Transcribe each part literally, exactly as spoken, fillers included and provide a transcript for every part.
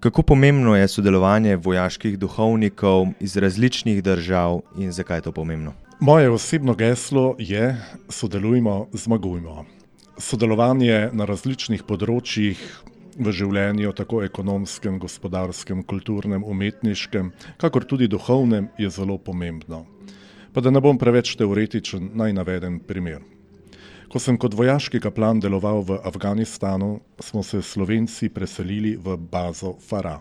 Kako pomembno je sodelovanje vojaških duhovnikov iz različnih držav in zakaj je to pomembno? Moje osebno geslo je: sodelujmo, zmagujmo. Sodelovanje na različnih področjih v življenju, tako ekonomskem, gospodarskem, kulturnem, umetniškem, kakor tudi duhovnem, je zelo pomembno. Pa da ne bom preveč teoretičen, naj navedem primer. Ko sem kot vojaški kaplan deloval v Afganistanu, smo se Slovenci preselili v bazo Farah.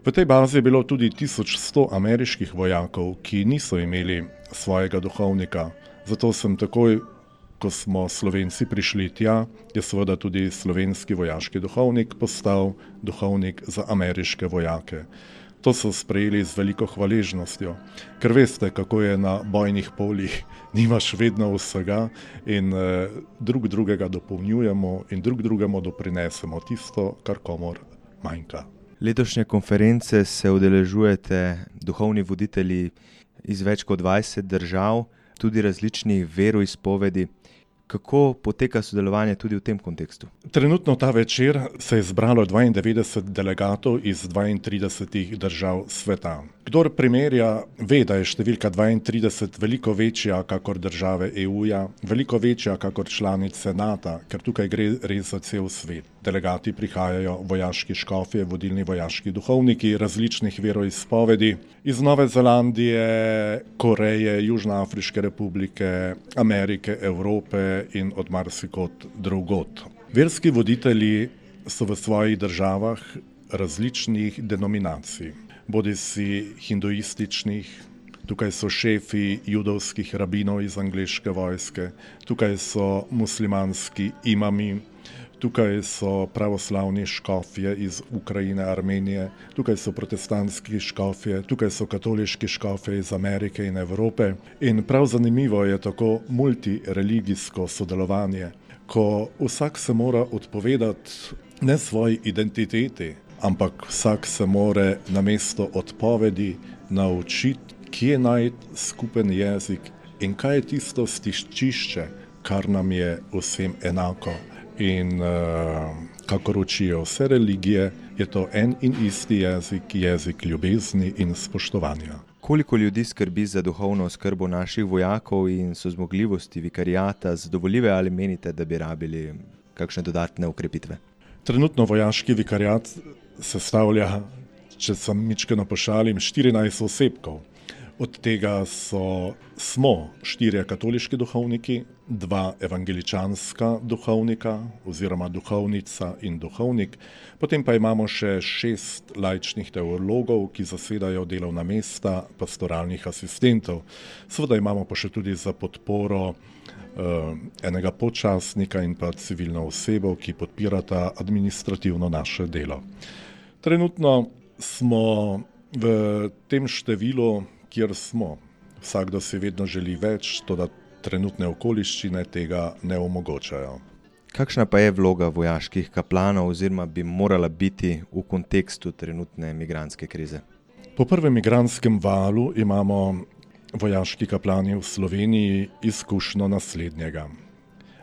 V tej bazi je bilo tudi tisoč sto ameriških vojakov, ki niso imeli svojega duhovnika. Zato sem takoj, ko smo Slovenci prišli tja, je seveda tudi slovenski vojaški duhovnik postal duhovnik za ameriške vojake. To so sprejeli z veliko hvaležnostjo, ker veste, kako je na bojnih poljih, nimaš vedno vsega in eh, drug drugega dopolnjujemo in drug drugemu doprinesemo tisto, kar komur manjka. Letošnje konference se udeležujete duhovni voditelji iz več kot dvajset držav, tudi različnih veroizpovedi. Kako poteka sodelovanje tudi v tem kontekstu? Trenutno ta večer se je zbralo dvaindevetdeset delegatov iz dvaintridesetih držav sveta. Kdor primerja, ve, da je številka dvaintrideset veliko večja kakor države E U-ja, veliko večja kakor članice Nata, ker tukaj gre res za cel svet. Delegati prihajajo vojaški škofje, vodilni vojaški duhovniki različnih veroizpovedi iz Nove Zelandije, Koreje, Južnoafriške republike, Amerike, Evrope in od marsikod drugod. Verski voditelji so v svojih državah različnih denominacij, bodisi hinduističnih, tukaj so šefi judovskih rabinov iz angleške vojske, tukaj so muslimanski imami, tukaj so pravoslavni škofje iz Ukrajine, Armenije, tukaj so protestantski škofje, tukaj so katoliški škofje iz Amerike in Evrope. In prav zanimivo je tako multireligijsko sodelovanje, ko vsak se mora odpovedati ne svoji identiteti, ampak vsak se mora namesto odpovedi naučiti, kje najti skupen jezik in kaj je tisto stičišče, kar nam je vsem enako. In uh, kakor učijo vse religije, je to en in isti jezik, jezik ljubezni in spoštovanja. Koliko ljudi skrbi za duhovno oskrbo naših vojakov in so zmogljivosti vikarijata zadovoljive ali menite, da bi rabili kakšne dodatne ukrepitve? Trenutno vojaški vikarijat sestavlja, če sem mičkeno pošalim, štirinajst osebkov. Od tega so, smo štirje katoliški duhovniki, dva evangeličanska duhovnika oziroma duhovnica in duhovnik, potem pa imamo še šest laičnih teologov, ki zasedajo delovna mesta pastoralnih asistentov. Seveda imamo pa še tudi za podporo uh, enega podčastnika in pa civilno osebo, ki podpirata administrativno naše delo. Trenutno smo v tem številu, kjer smo. Vsakdo si vedno želi več, toda trenutne okoliščine tega ne omogočajo. Kakšna pa je vloga vojaških kaplanov oziroma bi morala biti v kontekstu trenutne migrantske krize? Po prvem migrantskem valu imamo vojaški kaplani v Sloveniji izkušnjo naslednjega.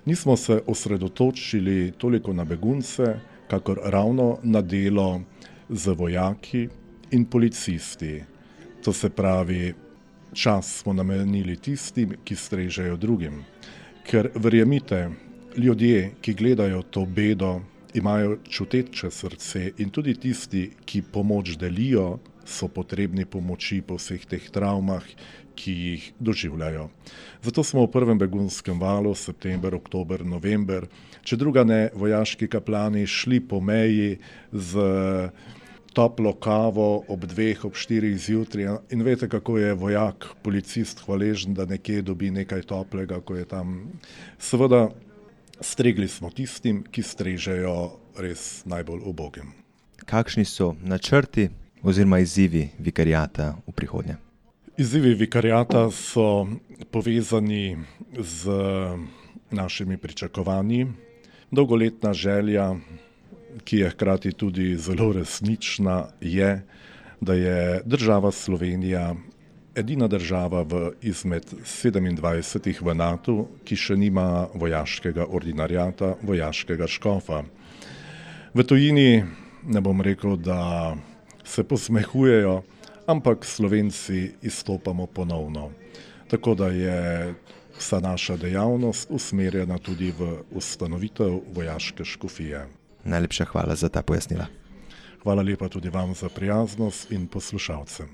Nismo se osredotočili toliko na begunce, kakor ravno na delo z vojaki in policisti. To se pravi, čas smo namenili tistim, ki strežejo drugim. Ker verjemite, ljudje, ki gledajo to bedo, imajo čuteče srce in tudi tisti, ki pomoč delijo, so potrebni pomoči po vseh teh travmah, ki jih doživljajo. Zato smo v prvem begunskem valu, september, oktober, november, če druga ne, vojaški kaplani šli po meji z toplo kavo ob dveh, ob štirih zjutraj in veste, kako je vojak, policist hvaležen, da nekje dobi nekaj toplega, ko je tam. Seveda, stregli smo tistim, ki strežejo res najbolj ubogim. Kakšni so načrti oziroma izzivi vikarijata v prihodnje? Izzivi vikarijata so povezani z našimi pričakovanji. Dolgoletna želja, ki je hkrati tudi zelo resnična, je, da je država Slovenija edina država v izmed sedemindvajsetih v Natu, ki še nima vojaškega ordinariata, vojaškega škofa. V tujini ne bom rekel, da se posmehujejo, ampak Slovenci izstopamo ponovno. Tako da je vsa naša dejavnost usmerjena tudi v ustanovitev vojaške škofije. Najlepša hvala za ta pojasnila. Hvala lepa tudi vam za prijaznost in poslušalcem.